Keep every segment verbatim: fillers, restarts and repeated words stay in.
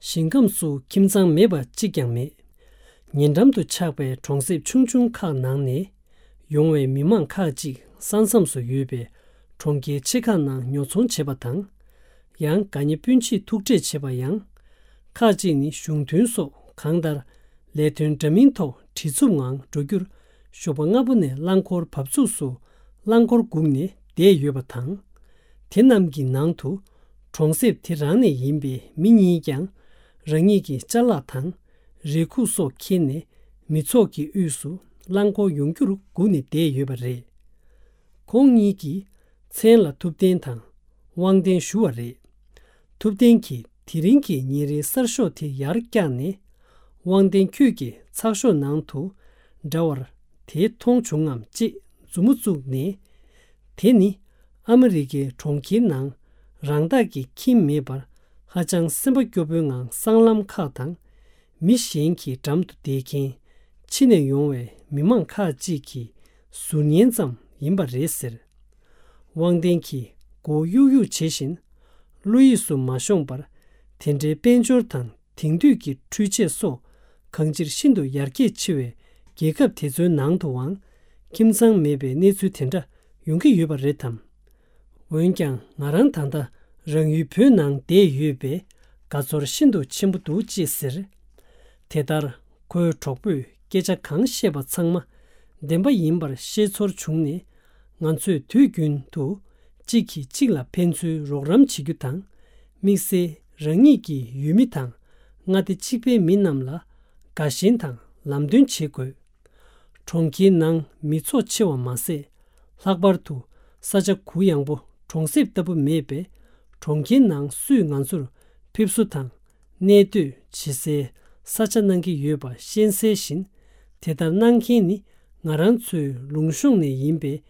ཞིང་ཁམས་སུ་ཁྱིམ་ཚང་མེད་པ་གཅིག་ཀྱང་མེད། ཉེ་འགྲམ་དུ་ཆགས་པའི་གྲོང་གསེབ་ཆུང་ཆུང་ཁག་ནང་ནས་ཡོང་བའི་མི་མང་ཁག་ཅིག་ས་མཚམས་སུ་ཡོད་པའི་གྲོང་ཁྱེར་ཆེ་ཁག་ནང་ཉོ་ཚོང་བྱེད་པ་དང་། ཡང་དགའ་ཉེ་སྤུན་མཆེད་ཐུག་འཕྲད་བྱེད་པ་ཡང་། ཁག་ཅིག་ནི་གཞུང་དོན་སོགས་གང་ལྟར་ལས་དོན་འདྲ་མིན་ཐོག་བྲེལ་འཚུབ་ངང་འགྲོ་རྒྱུར། ཞོགས་པ་སྔ་པོ་ནས་རླངས་འཁོར་བབས་ཚུགས་སུ་རླངས་འཁོར་སྒུག་ནས་བསྡད་ཡོད་པ་དང་། དེ་རྣམས་ཀྱི་ནང་དུ་གྲོང་གསེབ་དེ་རང་ནས་ཡིན་པའི་མི་གཉིས་ཀྱང་རང་ཉིད་ཀྱི་ཅ་ལག་དང་རས་ཁུག་སོགས་འཁྱེར་ནས་མི་ཚོགས་ཀྱི་དབུས་སུ་རླངས་འཁོར་ཡོང་རྒྱུར་སྒུག་ནས་བསྡད་ཡོད་པ་རེད། ཁོང་གཉིས་ཀྱིས་མཚན་ལ་ཐུབ་བསྟན་དང་དབང་ལྡན་ཞུ་བ་རེད། ཐུབ་བསྟན་གྱིས་དེ་རིང་གི་ཉིན་རེའི་གསར་ཤོག་དེ་ཡར་བཀྱགས་ནས། དབང་ལྡན་ཁྱོད་ཀྱི་ཚགས་ཤོག་ནང་དུ་འདྲ་བར་དེ་མཐོང་བྱུང་ངམ་ཅེས་མཛུབ་མོ་བཙུགས་ནས། དེ་ནི་ཨ་མི་རི་ཀའི་གྲོང་ཁྱེར་ནང་རང་བདག་གི་ཁྱིམ་མེད་པར་ཧ་ཅང་སེམས་པ་སྐྱོ་པོའི་ངང་སྲང་ལམ་ཁག་དང་། མི་གཞན་གྱི་འགྲམ་དུ་བསྡད་མཁན་ཕྱི་ནས་ཡོང་བའི་མི་མང་ཁག་ཅིག་གི་ཟུར་ཉན་ཙམ་ཡིན་པ་རེད་ཟེར། དབང་ལྡན་གྱིས་མགོ་གཡུག་གཡུག་བྱེད་བཞིན། བློ་ཡིད་སུ་མ་ཤོང་བར། དེ་འདྲའི་དཔལ་འབྱོར་དང་དེང་དུས་ཀྱི་འཕྲུལ་ཆས་སོགས་གང་ཅིར་ཤིན་ཏུ་ཡར་རྒྱས་ཆེ་བའི་རྒྱལ་ཁབ་དེ་ཚོའི་ནང་དུའང་ཁྱིམ་ཚང་མེད་པའི་གནས་ཚུལ་དེ་འདྲ་ཡོང་གི་ཡོད་པ་རེད་དམ། འོན་ཀྱང་ང་རང་ད་ལྟ་རང་ཡུལ་བོད་ནང་བསྡད་ཡོད་པས་དགའ་ཚོར་ཤིན་ཏུ་ཆེན་པོ་འདུག་ཅེས་ཟེར། དེ་ལྟར་ཁོའི་གྲོགས་པོས་སྐད་ཆ་གང་བཤད་པ་ཚང་མ་བདེན་པ་ཡིན་པར་ཤེས་ཚོར་བྱུང་ནས། ང་ཚོས་དུས་རྒྱུན་དུ་གཅིག་གིས་གཅིག་ལ་ཕན་ཚུན་རོགས་རམ་བྱེད་རྒྱུ་དང་། དམིགས་བསལ་རང་ཉིད་ཀྱི་ཡུལ་མི་དང་མངའ་སྡེ་གཅིག་པའི་མི་རྣམས་ལ་དགའ་ཞེན་དང་ལམ་སྟོན་བྱེད་དགོས། གྲོང་ཁྱེར་ནང་མི་ཚོགས་ཆེ་བ་མ་ཟད། ལྷག་པར་དུ་ས་ཆ་གུ་ཡངས་པོ་གྲོང་གསེབ་ལྟ་བུ་མེད་པས། གྲོང་ཁྱེར་ནང་སུས་ང་ཚོར་ཕེབས་བསུ་དང་གནས་སྡོད་བྱེད་སའི་ས་ཆ་གནང་གི་ཡོད་པ་ཤེས་གསལ་བཞིན། དེ་ལྟར་གནང་མཁན་ནི་ང་རང་ཚོའི་ལུང་གཤོང་ནས་ཡིན་པས།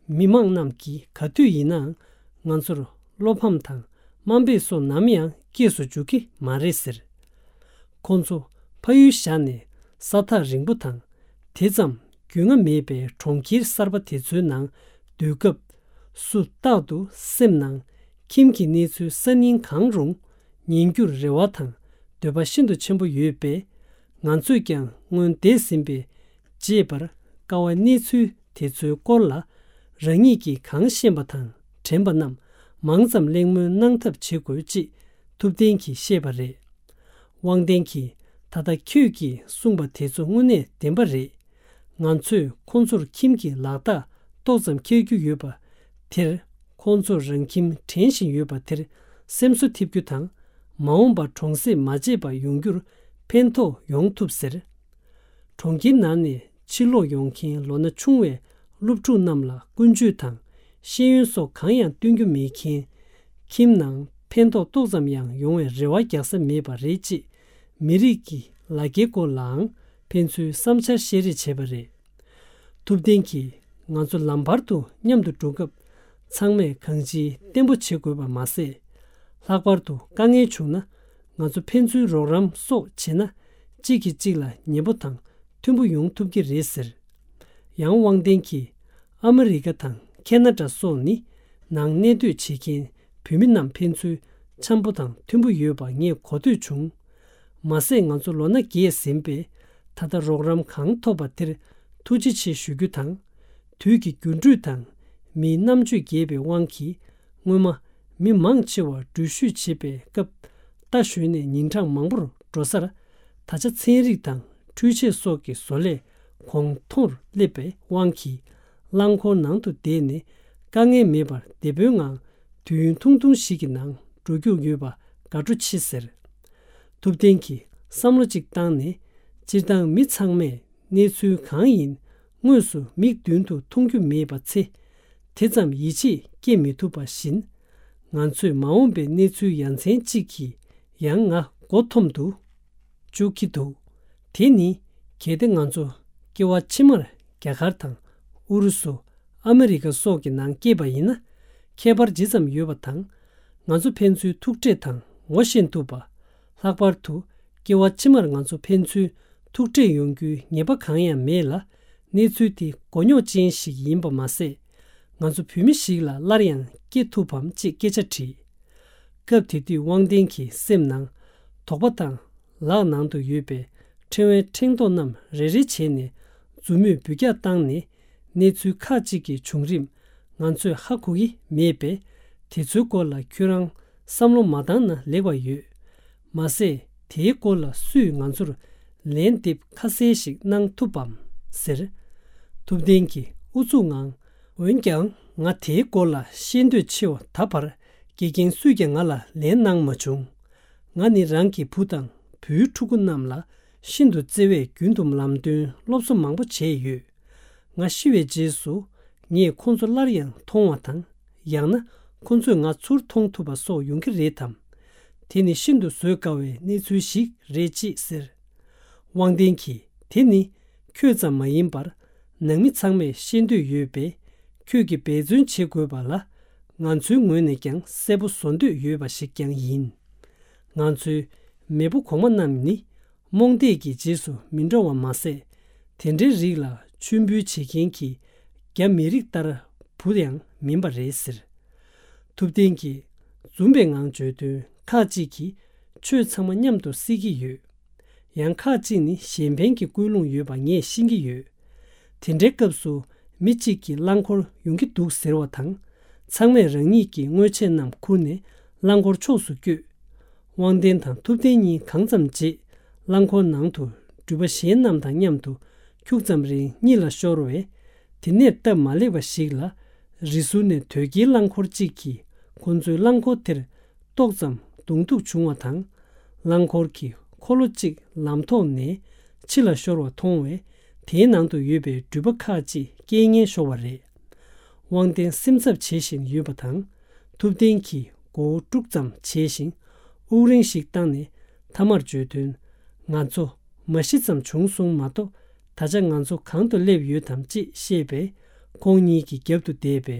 མི་མང་རྣམས་ཀྱིས་ག་དུས་ཡིན་ནའང་ང་ཚོར་བློ་ཕམ་དང་དམའ་འབེབས་སོགས་ནམ་ཡང་སྐྱེས་སུ་འཇུག་གི་མ་རེད་ཟེར། ཁོང་ཚོ་ཕ་ཡུལ་བཞག་ནས་ས་ཐག་རིང་པོ་དང་། དེ་ཙམ་རྒྱུས་མངའ་མེད་པའི་གྲོང་ཁྱེར་གསར་པ་དེ་ཚོའི་ནང་སྡོད་སྐབས་སུ། རྟག་ཏུ་སེམས་ནང་ཁྱིམ་གྱི་གནས་ཚུལ་གསར་རྙིང་གང་རུང་ཉན་རྒྱུར་རེ་བ་དང་འདོད་པ་ཤིན་ཏུ་ཆེན་པོ་ཡོད་པས། ང་ཚོས་ཀྱང་སྔོན་འདས་ཟིན་པའི་བརྗེད་པར་དཀའ་བའི་གནས་ཚུལ་དེ་ཚོའི་སྐོར་ལ་རང་ཉིད་ཀྱིས་གང་ཤེས་པ་དང་དྲན་པ་རྣམས་མང་ཙམ་གླེང་མོལ་གནང་ཐབས་བྱེད་དགོས་ཅེས་ཐུབ་བསྟན་གྱིས་བཤད་པ་རེད། དབང་ལྡན་གྱིས། ད་ལྟ་ཁྱོད་ཀྱིས་གསུངས་པ་དེ་ཚོ་དངོས་གནས་བདེན་པ་རེད། ང་ཚོས་ཁོང་ཚོར་ཁྱིམ་གྱི་ལག་རྟགས་ཏོག་ཙམ་འཁྱེར་རྒྱུ་ཡོད་པ་དེར། ཁོང་ཚོར་རང་ཁྱིམ་དྲན་བཞིན་ཡོད་པ་དེར་སེམས་གསོ་ཐེབས་རྒྱུ་དང་། མ་འོངས་པར་གྲོང་གསེབ་མ་བརྗེད་པ་ཡོང་རྒྱུར་ཕན་ཐོགས་ཡོང་ཐུབ་ཟེར། གྲོང་ཁྱེར་ནང་ནས་ཕྱིར་ལོག་ཡོང་མཁན་ལོ་ན་ཆུང་བའི་སློབ་ཕྲུག་རྣམས་ལ་ཀུན་སྤྱོད་དང་ཤེས་ཡོན་སོགས་གང་ཡང་སྟོན་རྒྱུ་མེད་མཁན། ཁྱིམ་ནང་ཕན་ཐོགས་ཏོག་ཙམ་ཡང་ཡོང་བའི་རེ་བ་རྒྱག་ས་མེད་པ་རེད་ཅེས། མི་རིགས་ཀྱི་ལ་རྒྱའི་སྐོར་ལའང་ཕན་ཚུན་བསམ་འཆར་བཤད་རེས་བྱས་པ་རེད། ཐུབ་བསྟན་གྱིས། ང་ཚོ་ལམ་བར་དུ་མཉམ་དུ་འགྲོ་སྐབས་ཚང་མས་གང་ཅིའི་བརྟན་པོ་བྱེད་དགོས་པ་མ་ཟད། ལྷག་པར་དུ་དཀའ་ངལ་བྱུང་ན་ང་ཚོ་ཕན་ཚུན་རོགས་རམ་སོགས་བྱེད་ན། གཅིག་གིས་གཅིག་ལ་ཉན་པོ་དང་མཐུན་པོ་ཡོང་ཐུབ་ཀྱི་རེད་ཟེར། ཡང་དབང་ལྡན་གྱིས། ཨ་མི་རི་ཀ་དང་ཁེ་ན་ཌ་སོགས་ནི་ནང་གནས་སྡོད་བྱེད་མཁན་བོད་མི་རྣམས་ཕན་ཚུན་འཆམ་པོ་དང་མཐུན་པོ་ཡོད་པ་ངས་གོ་ཐོས་བྱུང་། མ་ཟད་ང་ཚོ་ལོ་ན་རྒས་ཟིན་པས། ད་ལྟ་རོགས་རམ་གང་ཐོབ་པ་དེར་ཐུགས་རྗེ་ཆེ་ཞུ་རྒྱུ་དང་། དུས་ཀྱི་འགྱུར་འགྲོས་དང་མིའི་རྣམ་དཔྱོད་རྒྱས་པའི་དབང་གིས། སྔོན་མ་མི་མང་ཆེ་བ་འགྲུལ་བཞུད་བྱེད་པའི་སྐབས་རྟ་ཞོན་ནས་ཉིན་གྲངས་མང་པོར་འགྲོ་སར། ད་ཆ་ཚན་རིག་དང་འཕྲུལ་ཆས་སོགས་ཀྱི་བཟོ་ལས་གོང་མཐོར་སླེབས་པའི་དབང་གིས། རླངས་འཁོར་ནང་དུ་བསྡད་ནས་དཀའ་ངལ་མེད་པར་བདེ་པོའི་ངང་དུས་ཡུན་ཐུང་ཐུང་ཞིག་གི་ནང་འགྲོ་རྒྱུ་ཡོད་པ་དགའ་སྤྲོ་ཆེ་ཟེར། ཐུབ་བསྟན་གྱིས་བསམ་བློ་གཅིག་བཏང་ནས། སྤྱིར་བཏང་མི་ཚང་མས་གནས་ཚུལ་གང་ཡིན་དངོས་སུ་མིག་མདུན་དུ་མཐོང་རྒྱུ་མེད་པ་ཚེ། དེ་ཙམ་ཡིད་ཆེས་སྐྱེ་མི་ཐུབ་པ་བཞིན། ང་ཚོས་མ་འོངས་པའི་གནས་ཚུལ་ཡ་མཚན་གཅིག་གིས་ཡང་ང་མགོ་འཐོམ་དུ་བཅུག་གི་འདུག་དེ་ནི་གལ་ཏེ་ང་ཚོ་སྐྱེ་བ་ཕྱི་མར་རྒྱ་གར་དང་ཨུ་རུ་སུ། ཨ་མི་རི་ཀ་སོགས་ཀྱི་ནང་སྐྱེས་པ་ཡིན་ན། ཁྱད་པར་ཇི་ཙམ་ཡོད་པ་དང་། ང་ཚོ་ཕན་ཚུན་ཐུག་འཕྲད་དང་ངོ་ཤེས་ཐུབ་པ། ལྷག་པར་དུ་སྐྱེ་བ་ཕྱི་མར་ང་ཚོ་ཕན་ཚུན་ཐུག་འཕྲད་ཡོང་རྒྱུའི་ངེས་པ་གང་ཡང་མེད་ལ། གནས་ཚུལ་དེ་མགོ་རྙོག་ཅན་ཞིག་ཡིན་པ་མ་ཟད། ང་ཚོ་བོད་མི་ཞིག་ལ་སླར་ཡང་སྐྱེ་ཐུབ་བམ་ཅེས་སྐད་ཆ་དྲིས། སྐབས་དེ་དུས་དབང་ལྡན་གྱི་སེམས་ནང་། དོགས་པ་དང་། ལག་ནང་དུ་ཡོད་པའི་ཕྲེང་བའི་ཕྲེང་རྡོག་རྣམས་རེ་རེ་བྱས་ནས་མཛུབ་མོས་འབུད་རྒྱག་བཏང་ནས། གནས་ཚུལ་ཁག་ཅིག་གི་བྱུང་རིམ་ང་ཚོས་ཧ་གོ་གི་མེད་པས། དེ་ཚོའི་སྐོར་ལ་ཁྱོད་རང་བསམ་བློ་མ་བཏང་ན་ལེགས་པ་ཡོད། མ་ཟད། དེའི་སྐོར་ལ་སུས་ང་ཚོར་ལན་འདེབས་ཁ་གསལ་ཞིག་གནང་ཐུབ་བམ་ཟེར། ཐུབ་བསྟན་གྱིས་ཨུ་ཚུགས་ངང་། འོན་ཀྱང་། ང་དེའི་སྐོར་ལ་ཤེས་འདོད་ཆེ་བ། ད་བར་དགེ་རྒན་སུས་ཀྱང་ང་ལ་ལན་གནང་མ་བྱུང་། ང་ནི་རང་གི་བུ་དང་བུའི་ཕྲུ་གུ་རྣམས་ལ་ཤིན་ཏུ་བརྩེ་བས། རྒྱུན་དུ་ལམ་སྟོན་སློབ་གསོ་མང་པོ་བྱས་ཡོད། ང་ཤི་བའི་རྗེས་སུ། ངས་ཁོང་ཚོ་སླར་ཡང་མཐོང་བ་དང་། ཡང་ན་ཁོང་ཚོས་ང་ཚུར་མཐོང་ཐུབ་པ་སོགས་ཡོང་གི་རེད་དམ། དེ་ནི་ཤིན་ཏུ་བཟོད་དཀའ་བའི་གནས་ཚུལ་ཞིག་རེད་ཅེས་ཟེར། དབང་ལྡན་གྱིས། དེ་ནི་ཁྱོད་ཙམ་མ་ཡིན་པར་ནང་མི་ཚང་མས་ཤེས་འདོད་ཡོད་པས། ཁྱོད་ཀྱིས་འབད་བརྩོན་བྱེད་དགོས་པ་ལ། ང་ཚོའི་ངོས་ནས་ཀྱང་གསལ་པོ་བཟོ་འདོད་ཡོད་པ་ཞིག་ཀྱང་ཡིན། ང་ཚོའི་མེས་པོ་གོང་མ་རྣམས་ནི། རྨོངས་དད་ཀྱི་རྗེས་སུ་མི་འགྲོ་བ་མ་ཟད། དེ་འདྲའི་རིགས་ལ་མཆོད་འབུལ་བྱེད་མཁན་གྱི་རྒྱ་མི་རིགས་ལྟར་བུ་ཡང་མིན་པ་རེད་ཟེར། ཐུབ་བསྟན་གྱིས་འཛུམ་པའི་ངང་བརྗོད་དོན། ཁག་ཅིག་གིས་ཆོས་ཚང་མ་མཉམ་དུ་བསྲེ་གི་ཡོད། ཡང་ཁག་ཅིག་ནི་གཞན་ཕན་གྱི་ཀུན་སློང་ཡོད་པ་ངས་ཤེས་ཀྱི་ཡོད། དེ་འདྲའི་སྐབས་སུ་མི་གཅིག་གིས་རླངས་འཁོར་ཡོང་གི་འདུག་ཟེར་བ་དང་། ཚང་མས་རང་ཉིད་ཀྱི་དངོས་ཆས་རྣམས་ཁུར་ནས་རླངས་འཁོར་ཕྱོགས་སུ་བསྐྱོད། དབང་ལྡན་དང་ཐུབ་བསྟན་གཉིས་གང་ཙམ་བརྗེད། རླངས་འཁོར་ནང་དུ་འགྲུལ་པ་གཞན་རྣམས་དང་མཉམ་དུ་ཁྱུག་ཙམ་རིང་གཉིད་ལ་ཤོར་བས། དེ་ནས་སྟབས་མ་ལེགས་པ་ཞིག་ལ། རི་ཟུར་ནས་དོས་སྐྱེལ་རླངས་འཁོར་གཅིག་གིས་ཁོ་ཚོའི་རླངས་འཁོར་དེར་ཏོག་ཙམ་གདོང་ཐུག་བྱུང་བ་དང་། རླངས་འཁོར་གྱི་འཁོར་ལོ་གཅིག་ལམ་ཐོག་ནས་ཕྱི་ལ་ཤོར་བ་མཐོང་བས། དེའི་ནང་དུ་ཡོད་པའི་འགྲུལ་པ་ཁག་ཅིག་སྐྱེལ་ངེས་ཤོར་བ་རེད། དབང་ལྡན་སེམས་འཚབ་བྱེད་བཞིན་ཡོད་པ་དང་། ཐུབ་བསྟན་གྱིས་མགོ་བོ་དཀྲུག་ཙམ་བྱས་ཤིང་། དབུགས་རིང་ཞིག་བཏང་ནས་ཐ་མར་བརྗོད་དོན། ང་ཚོ་མ་ཤི་ཙམ་བྱུང་སོང་མ་གཏོགས། ད་ཆ་ང་ཚོ་གང་དུ་སླེབས་ཡོད་དམ་ཅེས་བཤད་པས། ཁོང་གཉིས་ཀྱི་རྒྱབ་ཏུ་བསྡད་པའི་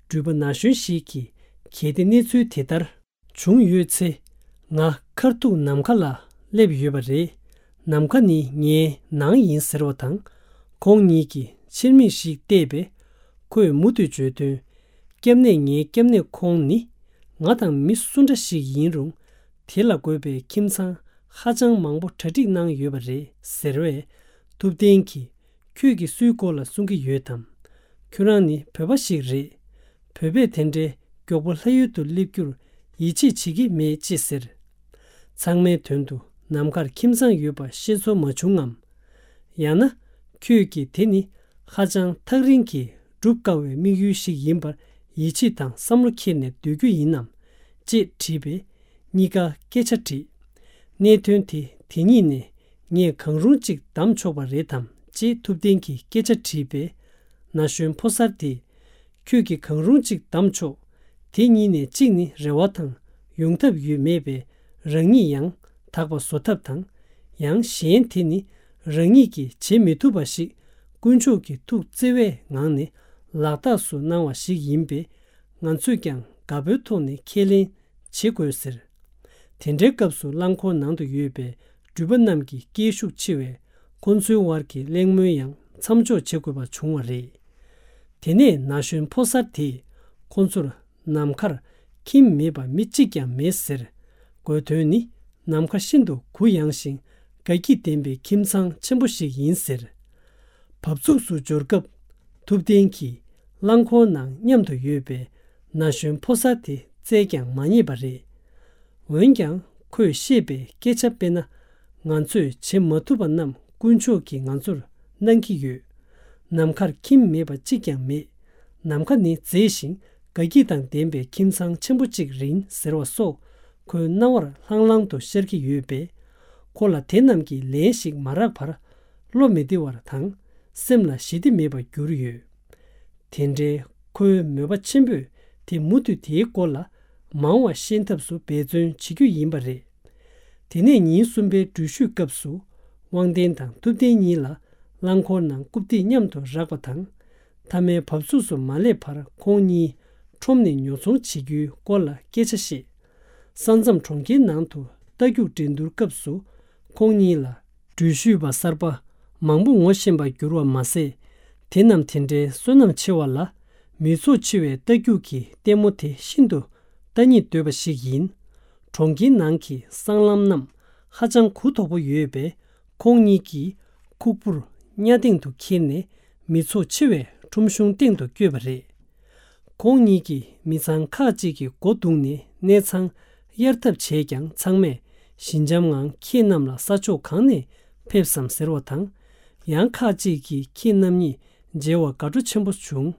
འགྲུལ་པ་ན་གཞོན་ཞིག་གིས། གལ་ཏེ་གནས་ཚུལ་དེ་ལྟར་བྱུང་ཡོད་ཚེ། ང་ཁར་ཐུག་ནམ་མཁའ་ལ་སླེབས་ཡོད་པ་རེད། ནམ་མཁའ་ནི་ངའི་ནང་ཡིན་ཟེར་བ་དང་། ཁོང་གཉིས་ཀྱིས་ཕྱིར་མིག་ཞིག་བལྟས་པས། ཁོས་མུ་མཐུད་བརྗོད་དོན། སྐྱབས་གནས་ངའི་སྐྱབས་གནས་ཁོང་ནི། ང་དང་མི་སུ་འདྲ་ཞིག་ཡིན་རུང་། དེ་ལ་དགོས་པའི་ཁྱིམ་ཚང་ཧ་ཅང་མང་པོ་གྲ་སྒྲིག་གནང་ཡོད་པ་རེད་ཟེར་བས། ཐུབ་བསྟན་གྱིས། ཁྱོད་ཀྱིས་སུའི་སྐོར་ལ་གསུང་གི་ཡོད་དམ། ཁྱོད་རང་ནི་བོད་པ་ཞིག་རེད། བོད་པས་དེ་འདྲའི་མགྱོགས་པོ་ལྷ་ཡུལ་དུ་སླེབས་རྒྱུར་ཡིད་ཆེས་བྱེད་ཀྱི་མེད་ཅེས་ཟེར། ཚང་མའི་དོན་དུ་ནམ་མཁར་ཁྱིམ་ཚང་ཡོད་པ་ཤེས་ཚོར་མ་བྱུང་ངམ། ཡང་ན། ཁྱོད་ཀྱིས་དེ་ནི་ཧ་ཅང་ཐག་རིང་གི་སྒྲུབ་དཀའ་བའི་དམིགས་ཡུལ་ཞིག་ཡིན་པར་ཡིད་ཆེས་དང་བསམ་བློ་འཁྱེར་ནས་སྡོད་རྒྱུ་ཡིན་ནམ། ཅེས་དྲིས་པས། གཉིས་ཀ་སྐད་ཆ་དྲིས། གནད་དོན་དེ་དེ་ཉིད་ནས་ངས་གང་རུང་གཅིག་བདམས་ཆོག་པ་རེད་དམ་ཅེས་ཐུབ་བསྟན་གྱིས་སྐད་ཆ་དྲིས་པས། ན་གཞོན་ཕོ་གསར་དེས། ཁྱོད་ཀྱིས་གང་རུང་གཅིག་བདམས་ཆོག་དེ་གཉིས་ནས་གཅིག་ནི་རེ་བ་དང་ཡོང་ཐབས་ཡོད་མེད་པས། རང་ཉིད་ཡང་དག་པ་བཟོ་ཐབས་དང་། ཡང་གཞན་དེ་ནི་རང་ཉིད་ཀྱིས་བྱེད་མི་ཐུབ་པ་ཞིག་དཀོན་མཆོག་གི་ཐུགས་བརྩེ་བའི་ངང་ནས་ལག་རྟགས་སུ་གནང་བ་ཞིག་ཡིན་པས། ང་ཚོས་ཀྱང་དགའ་པོའི་ཐོག་ནས་ཁས་ལེན་བྱེད་དགོས་ཟེར། དེ་འདྲའི་སྐབས་སུ་རླངས་འཁོར་ནང་དུ་ཡོད་པའི་འགྲུལ་པ་རྣམས་ཀྱི་སྐད་ཤུགས་ཆེ་བས། ཁོ་ཚོའི་དབར་གྱི་གླེང་མོལ་ཡང་མཚམས་འཇོག་བྱེད་དགོས་པ་བྱུང་བ་རེད། དེ་ནས་ན་གཞོན་ཕོ་གསར་དེས་ཁོ་ཚོར། ནམ་མཁར་ཁྱིམ་མེད་པ་མི་གཅིག་ཀྱང་མེད་ཟེར། དགོས་དོན་ནི། ནམ་མཁའ་ཤིན་ཏུ་གུ་ཡངས་ཤིང་དགའ་སྐྱིད་ལྡན་པའི་ཁྱིམ་ཚང་ཆེན་པོ་ཞིག་ཡིན་ཟེར། བབས་ཚུགས་སུ་འབྱོར་སྐབས། ཐུབ་བསྟན་གྱིས་རླངས་འཁོར་ནང་མཉམ་དུ་ཡོད་པའི་ན་གཞོན་ཕོ་གསར་དེ་བཙལ་ཀྱང་མ་རྙེད་པ་རེད། འོན་ཀྱང་ཁོས་བཤད་པའི་སྐད་ཆ་དཔེར་ན། ང་ཚོས་བྱེད་མ་ཐུབ་པ་རྣམས་དཀོན་མཆོག་གིས་ང་ཚོར་གནང་གི་ཡོད། ནམ་མཁར་ཁྱིམ་མེད་པ་གཅིག་ཀྱང་མེད། ནམ་མཁའ་ནི་མཛེས་ཤིང་དགའ་སྐྱིད་དང་ལྡན་པའི་ཁྱིམ་ཚང་ཆེན་པོ་གཅིག་རེད་ཟེར་བ་སོགས་ཁོའི་རྣ་བར་ལྷང་ལྷང་དུ་ཤར་གྱི་ཡོད་པས། ཁོ་ལ་དེ་རྣམས་ཀྱི་ལན་ཞིག་མ་རག་བར། བློ་མི་བདེ་བ་དང་སེམས་ལ་ཞི་བདེ་མེད་པར་གྱུར་ཡོད། དེ་འདྲའི་ཁོའི་མོས་པ་ཆེན་པོས་དེ་མུ་མཐུད་དེའི་སྐོར་ལ་མང་བ་ཤེས་ཐབས་སུ་འབད་བརྩོན་བྱེད་རྒྱུ་ཡིན་པ་རེད། དེ་ནས་ཉིན་གསུམ་པའི་འགྲུལ་བཞུད་སྐབས་སུ། དབང་ལྡན་དང་ཐུབ་བསྟན་གཉིས་ལ་རླངས་འཁོར་ནང་རྐུབ་སྟེགས་མཉམ་དུ་རག་པ་དང་། མཐའ་མའི་བབས་ཚུགས་སུ་མ་སླེབས་བར་ཁོང་གཉིས་ཁྲོམ་ནས་ཉོ་ཚོང་བྱེད་རྒྱུའི་སྐོར་ལ་སྐད་ཆ་བཤད། ས་མཚམས་གྲོང་ཁྱེར་ནང་དུ་རྟ་རྒྱུག་འགྲན་བསྡུར་སྐབས་སུ་ཁོང་གཉིས་ལ་འགྲུལ་བཞུད་པ་གསར་པ་མང་པོ་ངོ་ཤེས་པར་གྱུར་བ་མ་ཟད། དེ་རྣམས་དེ་འདྲའི་བསོད་ནམས་ཆེ་བ་ལ། མི་ཚོགས་ཆེ་བའི་རྟ་རྒྱུག་གི་ལྟད་མོ་དེ་ཤིན་ཏུ་ལྟ་སྙིང་འདོད་པ་ཞིག་ཡིན། གྲོང་ཁྱེར་ནང་གི་སྲང་ལམ་རྣམས་ ཧ་ཅང་གུ་དོག་པོ་ཡོད་པས། ཁོང་གཉིས་ཀྱིས་ཁུག་པུར་གཉའ་སྟེང་དུ་འཁྱེར་ནས་མི་ཚོགས་ཆེ་བའི་ཁྲོམ་གཞུང་སྟེང་དུ་བསྐྱོད་པ་རེད། ཁོང་གཉིས་ཀྱིས་མི་ཚང་ཁག་ཅིག་གི་སྒོ་བརྡུངས་ནས་གནས་ཚང་གཡར་ཐབས་བྱས་ཀྱང་། ཚང་མས་ཞི་འཇམ་ངང་ཁྱེད་རྣམས་ལ་ས་ཕྱོགས་གང་ནས་ཕེབས་སམ་ཟེར་བ་དང་། ཡང་ཁག་ཅིག་གིས་ཁྱེད་རྣམ་གཉིས་མཇལ་བར་དགའ་སྤྲོ་ཆེན་པོ་བྱུང་།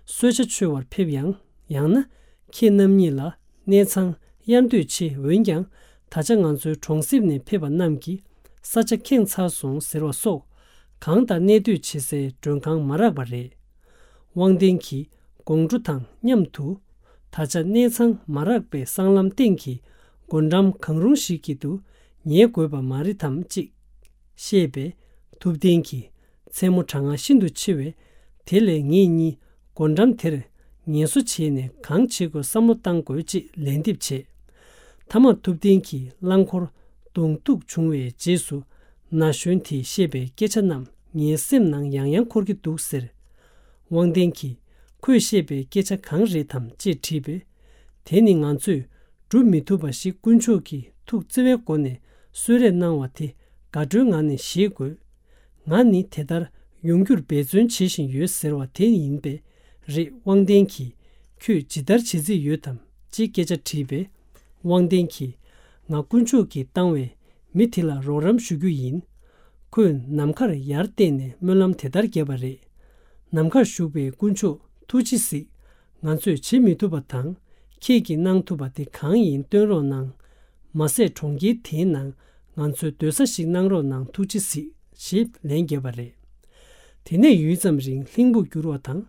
གསོལ་ཇ་མཆོད་པར་ཕེབས་ཡང་། ཡང་ན་ཁྱེད་རྣམ་གཉིས་ལ་གནས་ཚང་གཡར་འདོད་ཆེ། འོན་ཀྱང་ད་ཆ་ང་ཚོའི་གྲོང་གསེབ་ནས་ཕེབས་པ་རྣམས་ཀྱིས་ས་ཆ་ཁེངས་ཚར་སོང་ཟེར་བ་སོགས། གང་དང་གནས་སྡོད་བྱེད་སའི་མགྲོན་ཁང་མ་རག་པ་རེད། དབང་ལྡན་གྱིས་དགོང་དྲོ་དང་མཉམ་དུ། ད་ཆ་གནས་ཚང་མ་རག་པའི་སྲང་ལམ་སྟེང་གི་སྒོ་འགྲམ་གང་རུང་ཞིག་གི་དུ་ཉལ་དགོས་པ་མ་རེད་དམ་ཅེས་བཤད་པས། ཐུབ་བསྟན་གྱིས་མཚན་མོ་གྲང་ངར་ཤིན་ཏུ་ཆེ་བས། དེ་ལས་ངེད་གཉིས་སྒོ་འགྲམ་དེར་ངལ་གསོ་བྱས་ནས་གང་བྱེད་དགོས་བསམ་བློ་བཏང་དགོས་ཅེས་ལན་འདེབས་བྱས། མཐའ་མར་ཐུབ་བསྟན་གྱིས་རླངས་འཁོར་གདོང་གཏུག་བྱུང་བའི་རྗེས་སུ། ན་གཞོན་དེས་བཤད་པའི་སྐད་ཆ་རྣམས་ངའི་སེམས་ནང་ཡང་ཡང་འཁོར་གྱི་འདུག་ཟེར། དབང་ལྡན་གྱིས་ཁོས་བཤད་པའི་སྐད་ཆ་གང་རེད་དམ་ཅེས་དྲིས་པས། དེ་ནི་ང་ཚོས་སྒྲུབ་མི་ཐུབ་པ་ཞིག་དཀོན་མཆོག་གིས་ཐུགས་བརྩེ་བའི་སྒོ་ནས་གསོལ་རས་གནང་བ་དེ་དགའ་སྤྲོའི་ངང་ནས་བཞེས་དགོས། ང་ནི་དེ་ལྟར་ཡོང་རྒྱུར་འབད་བརྩོན་བྱེད་བཞིན་ཡོད་ཟེར་བ་དེ་ཡིན་པས་རེད། དབང་ལྡན་གྱིས་ཁྱོད་ཇི་ལྟར་བྱེད་རྩིས་ཡོད་དམ་ཅེས་སྐད་ཆ་དྲིས་པས། དབང་ལྡན་གྱིས་ང་དཀོན་མཆོག་གིས་བཏང་བའི་མི་དེ་ལ་རོགས་རམ་ཞུ་རྒྱུ་ཡིན། ཁོས་ནམ་མཁར་ཡར་བལྟས་ནས་སྨོན་ལམ་དེ་ལྟར་བརྒྱབ་པ་རེད། ནམ་མཁར་བཞུགས་པའི་དཀོན་མཆོག་ཐུགས་རྗེས་གཟིགས། ང་ཚོས་བྱེད་མི་ཐུབ་པ་དང་། ཁྱེད་ཀྱིས་གནང་ཐུབ་པ་དེ་གང་ཡིན་སྟོན་རོགས་གནང་། མ་ཟད་གྲོང་ཁྱེར་དེའི་ནང་ང་ཚོའི་སྡོད་ས་ཞིག་གནང་རོགས་གནང་། ཐུགས་རྗེས་གཟིགས་ཞེས་ལན་བརྒྱབ་པ་རེད། དེ་ནས་ཡུད་ཙམ་རིང་ལྷིང་པོ་གྱུར་བ་དང་།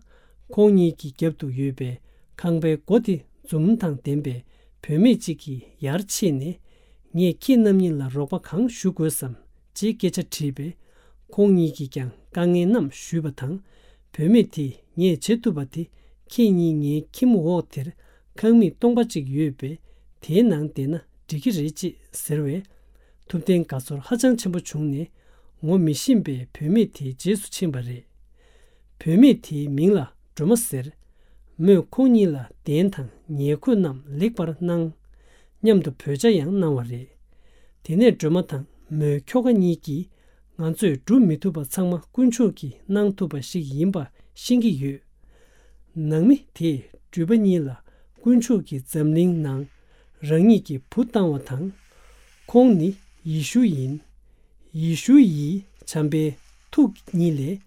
ཁོང་གཉིས་ཀྱི་རྒྱབ་ཏུ་ཡོད་པའི་ཁང་པའི་སྒོ་དེ་འཛུམ་དང་ལྡན་པའི་བུད་མེད་ཅིག་གིས་ཡར་ཕྱིན་ནས། ངས་ཁྱེད་རྣམ་གཉིས་ལ་རོགས་པ་གང་ཞུ་དགོས་སམ་ཅེས་སྐད་ཆ་དྲིས་པས། ཁོང་གཉིས་ཀྱིས་ཀྱང་དཀའ་ངལ་རྣམས་ཞུས་པ་དང་། བུད་མེད་དེས་ངས་བྱེད་ཐུབ་པ་དེ་ཁྱེད་གཉིས་ངའི་ཁྱིམ་འོག་དེར་ཁང་མིག་སྟོང་པ་ཅིག་ཡོད་པས། དེའི་ནང་བསྡད་ན་འགྲིག་གི་རེད་ཅེས་ཟེར་བས། ཐུབ་བསྟན་དགའ་ཚོར་ཧ་ཅང་ཆེན་པོ་བྱུང་ནས། ངོ་མི་ཤེས་པའི་བུད་མེད་དེའི་རྗེས་སུ་ཕྱིན་པ་རེད། བུད་མེད་དེའི་མིང་ལ་སྒྲོལ་མ་ཟེར། མོས་ཁོང་གཉིས་ལ་གདན་དང་ཉལ་གོས་རྣམས་ལེགས་པར་གནང་། མཉམ་དུ་བོད་ཇ་ཡང་གནང་བ་རེད། དེ་ནས་སྒྲོལ་མ་དང་མོའི་ཁྱོ་ག་གཉིས་ཀྱིས། ང་ཚོས་སྒྲུབ་མི་ཐུབ་པ་ཚང་མ་དཀོན་མཆོག་གིས་གནང་ཐུབ་པ་ཞིག་ཡིན་པ་ཤེས་ཀྱི་ཡོད། ནང་མི་དེས་སྒྲུབ་པ་གཉིས་ལ་དཀོན་མཆོག་གིས་འཛམ་གླིང་ནང་རང་ཉིད་ཀྱི་བུ་བཏང་བ་དང་། ཁོང་ནི་ཡེ་ཤུ་ཡིན། ཡེ་ཤུ་ཡིས་བྱམས་པའི་ཐུགས་ཉིད་ལས་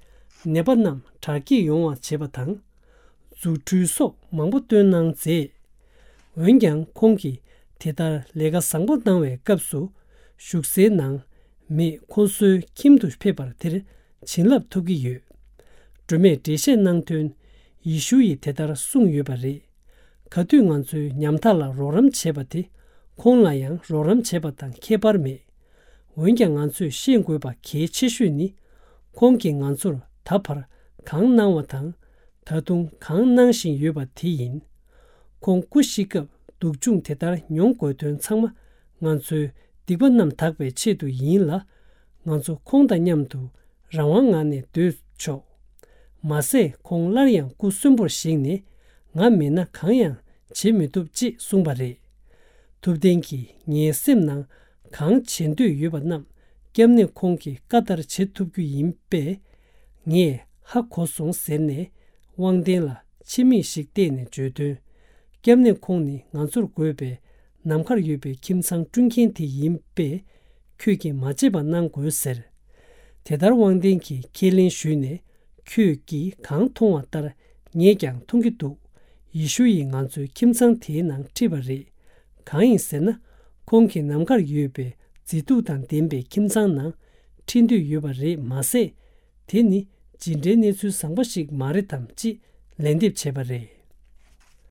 ནད་པ་རྣམས་དྲག་སྐྱེད་ཡོང་བ་བྱེད་པ་དང་། རྫུ་འཕྲུལ་སོགས་མང་པོ་སྟོན་གནང་མཛད། འོན་ཀྱང་ཁོང་གིས་དེ་ལྟར་ལས་ཀ་བཟང་པོ་གནང་བའི་སྐབས་སུ། བཞུགས་སའི་ནང་མི་ཁོ་ཚོའི་ཁྱིམ་དུ་ཕེབས་པར་དེར་བྱིན་རླབས་ཐོབ་ཀྱི་ཡོད། སྒྲོལ་མས་འགྲེལ་བཤད་གནང་དོན། ཡེ་ཤུ་ཡིས་དེ་ལྟར་གསུངས་ཡོད་པ་རེད། ག་དུས་ང་ཚོའི་ཉམ་ཐག་ལ་རོགས་རམ་བྱས་པ་དེ། ཁོང་ལ་ཡང་རོགས་རམ་བྱས་པ་དང་ཁྱད་པར་མེད། འོན་ཀྱང་ང་ཚོས་ཤེས་དགོས་པ་གལ་ཆེ་ཤོས་ནི། ཁོང་གིས་ང་ཚོར་ད་བར་གང་གནང་བ་དང་། ད་དུང་གང་གནང་བཞིན་ཡོད་པ་དེ་ཡིན། ཁོང་སྐུ་གཤེགས་སྐབས་སྡུག་སྦྱོང་དེ་ལྟར་མྱོང་དགོས་དོན་ཚང་མ། ང་ཚོའི་སྡིག་པ་རྣམས་དག་པའི་ཆེད་དུ་ཡིན་ལ། ང་ཚོ་ཁོང་དང་མཉམ་དུ་རང་དབང་ངང་ནས་སྡོད་ཆོག་མ་ཟད་ཁོང་སླར་ཡང་སྐུ་གསོན་པོར་བཞེངས་ནས། ང་མེད་ན་གང་ཡང་བྱེད་མི་ཐུབ་ཅེས་གསུངས་པ་རེད། ཐུབ་བསྟན་གྱིས་ངའི་སེམས་ནང་གང་བྱེད་འདོད་ཡོད་པ་རྣམས། སྐྱབས་གནས་ཁོང་གི་བཀའ་ལྟར་བྱེད་ཐུབ་རྒྱུ་ཡིན་པས། ངས་ཧ་གོ་སོང་ཟེར་ནས། དབང་ལྡན་ལ་ཕྱི་མིག་ཞིག་བལྟས་ནས་བརྗོད་དོན། སྐྱབས་གནས་ཁོང་ནི་ང་ཚོར་དགོས་པའི་ནམ་མཁར་ཡོད་པའི་ཁྱིམ་ཚང་བསྐྲུན་མཁན་དེ་ཡིན་པས། ཁྱོད་ཀྱིས་མ་བརྗེད་པ་གནང་དགོས་ཟེར། དེ་ལྟར་དབང་ལྡན་གྱིས་ཁས་ལེན་ཞུས་ནས། ཁྱོད་ཀྱིས་གང་མཐོང་བ་ལྟར་ངས་ཀྱང་མཐོང་གི་འདུག་ཡེ་ཤུ་ཡིས་ང་ཚོའི་ཁྱིམ་ཚང་དེའི་ནང་ཁྲིད་པ་རེད། གང་ཡིན་ཟེར་ན། ཁོང་གིས་ནམ་མཁར་ཡོད་པའི་མཛེས་སྡུག་དང་ལྡན་པའི་ཁྱིམ་ཚང་ནང་ཁྲིད་འདོད་ཡོད་པ་རེད་མ་ཟད། དེ་ནི་ཇི་འདྲའི་གནས་ཚུལ་བཟང་པོ་ཞིག་མ་རེད་དམ་ཅེས་ལན་འདེབས་བྱས་པ་རེད།